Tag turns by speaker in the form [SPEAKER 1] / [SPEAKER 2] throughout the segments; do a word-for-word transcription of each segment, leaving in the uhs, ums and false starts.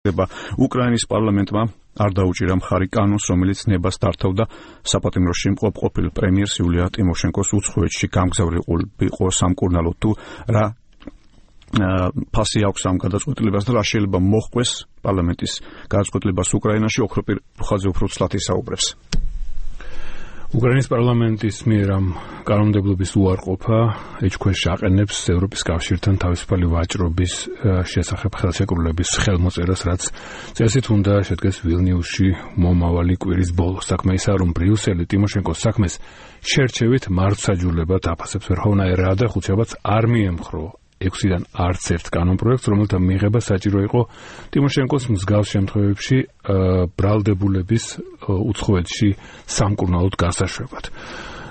[SPEAKER 1] უკრაინის პარლამენტმა არ დაუჭირა მხარი კანონს, რომელიც ნებას დართავდა საპატიმროში მყოფ ყოფილ პრემიერს იულია ტიმოშენკოს უცხოეთში გამგზავრიყო სამკურნალოდ თუ რა ფასი აქვს ამ გადაწყვეტილებას და რა შეიძლება მოჰყვეს პარლამენტის გადაწყვეტილებას უკრაინაში. ოქროპირ რუხაძე უფრო ცლად ისაუბრებს.
[SPEAKER 2] უკრაინის პარლამენტის მიერ ამ კანონმდებლობის უარყოფა ეჭქვეშ აყენებს ევროპის კავშირთან თავისუფალი ვაჭრობის შესახებ ხელშეკრულების ხელმოწერას, რაც წესით უნდა შედგეს ვილნიუსში მომავალი კვირის ბოლოს. საქმე ისაა, რომ ბრიუსელი ტიმოშენკოს საქმეს შერჩევით მართლმსაჯულებად აფასებს ვერხოვნაირ რადა ხუთშაბათს არ მიემხრო ექვსიდან არც ერთ კანონპროექტს, რომელთა მიღება საჭირო იყო ტიმოშენკოს მსგავს შემთხვევებში ბრალდებულების უცხოეთში სამკურნალოდ გასაშვებად.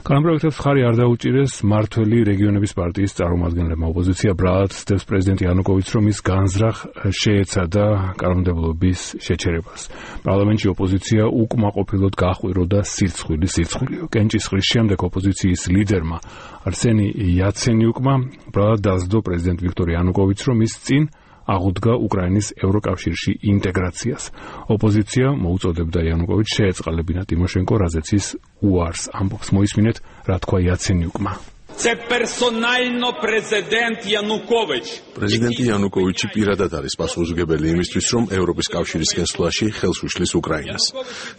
[SPEAKER 2] კანონპროექტებს მხარი არ დაუჭირეს მმართველი რეგიონების პარტიის წარმომადგენლებმა. ოპოზიცია ბრალად ცდებს პრეზიდენტ იანუკოვიჩს, რომ ის განზრახ შეეცადა კანონმდებლობის შეჩერებას. პარლამენტში ოპოზიცია უკმაყოფილოდ გაჰყვიროდა სირცხვილი სირცხვილიო. კენჭისყრის შემდეგ ოპოზიციის ლიდერმა არსენი იაცენიუკმა ბრალად დასდო პრეზიდენტ ვიქტორ იანუკოვიჩს, რომ ის წინ აღუდგა უკრაინის ევროკავშირში ინტეგრაციას. ოპოზიცია მოუწოდებდა იანუკოვიჩს შეეწყალებინა ტიმოშენკო, რაზეც ის უარს ამბობს. მოისმინეთ, რა თქვა იაცენიუკმა.
[SPEAKER 3] პრეზიდენტი იანუკოვიჩი პირადად არის პასუხისმგებელი იმისთვის, რომ ევროპის კავშირის გასვლაში ხელს უშლის უკრაინას.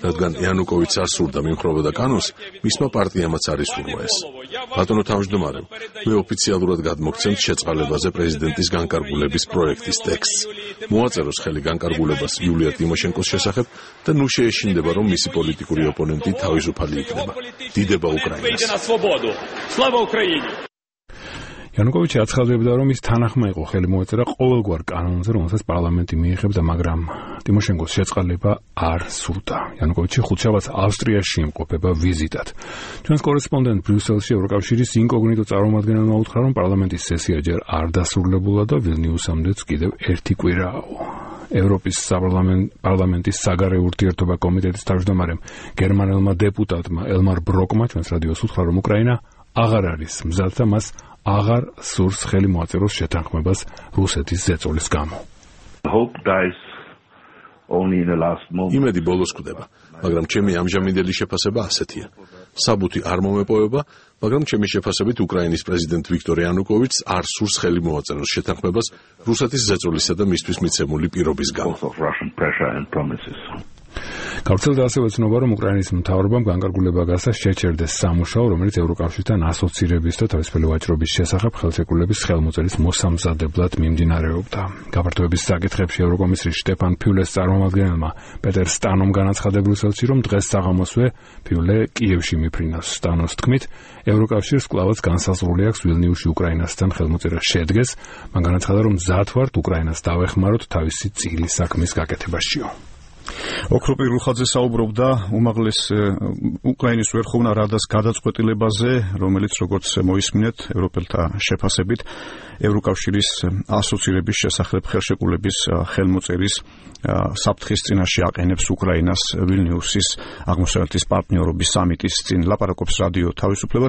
[SPEAKER 3] რადგან იანუკოვიჩს არ სურდა მიმხრობოდა კანონს, მისმა პარტიამაც არ ისურვა ეს. ბატონო თავმჯდომარე, მე ოფიციალურად გადმოგცემთ შეწყალებაზე პრეზიდენტის განკარგულების პროექტის ტექსტს. მოაწეროს ხელი განკარგულებას იულია ტიმოშენკოს შესახებ და ნუ შეეშინდება, რომ მისი პოლიტიკური ოპონენტი თავისუფალი იქნება. დიდება უკრაინას.
[SPEAKER 2] იანუკოვიჩი აცხადებდა, რომ ის თანახმა იყო ხელი მოეწერა ყოველგვარ კანონზე, რომელსაც პარლამენტი მიიღებდა, მაგრამ ტიმოშენკოს შეწყალება არ სურდა. იანუკოვიჩი ხუთშაბათს ავსტრიაში იმყოფება ვიზიტად. ჩვენს კორესპონდენტ ბრიუსელში ევროკავშირის ინკოგნიტო წარმომადგენელმა უთხრა, რომ პარლამენტის სესია ჯერ არ დასრულებულა და ვილნიუსამდეც კიდევ ერთი კვირააო. ევროპის პარლამენტის საგარეო ურთიერთობა კომიტეტის თავმჯდომარემ გერმანელმა დეპუტატმა ელმარ ბროკმა ჩვენს რადიოს უთხრა, რომ უკრაინა აღარ არის მზად და მას აღარ სურს ხელი მოაწეროს შეთანხმებას რუსეთის ზეწოლის გამო.
[SPEAKER 3] იმედი ბოლოს კვდება, მაგრამ ჩემი ამჟამინდელი შეფასება ასეთია. საბუთი არ მომეპოვება, მაგრამ ჩემი შეფასებით უკრაინის პრეზიდენტ ვიქტორ იანუკოვიჩს არ სურს ხელი მოაწეროს შეთანხმებას რუსეთის ზეწოლისა და მისთვის მიცემული პირობის გამო.
[SPEAKER 2] გავრცელდა ასევე ცნობა, რომ უკრაინის მთავრობამ განკარგულება გასცა შეჩერდეს სამუშაო, რომელიც ევროკავშირთან ასოცირების და თავისუფალი ვაჭრობის შესახებ ხელშეკრულების ხელმოწერის მოსამზადებლად მიმდინარეობდა. გაფართოების საკითხებში ევროკომისრის შტეფან ფიულეს წარმომადგენელმა პეტერ სტანომ განაცხადა ბრიუსელში, რომ დღეს საღამოსვე ფიულე კიევში მიფრინავს. სტანოს თქმით, ევროკავშირს კვლავაც განსაზღვრული აქვს ვილნიუსში უკრაინასთან ხელმოწერა შედგეს. მან განაცხადა, რომ მზად ვართ უკრაინას დავეხმაროთ თავისი წილის საქმის გაკეთებაშიო.
[SPEAKER 1] ოქროპირ რუხაძე საუბრობდა უმაღლეს უკრაინის ვერხოვნა რადას გადაწყვეტილებაზე, რომელიც როგორც მოისმინეთ ევროპელთა შეფასებით ევროკავშირის ასოცირების შესახებ ხელშეკრულების ხელმოწერის საფრთხის წინაშე აყენებს უკრაინას ვილნიუსის აღმოსავლეთის პარტნიორობის სამიტის წინ. ლაპარაკობს რადიო თავისუფლება.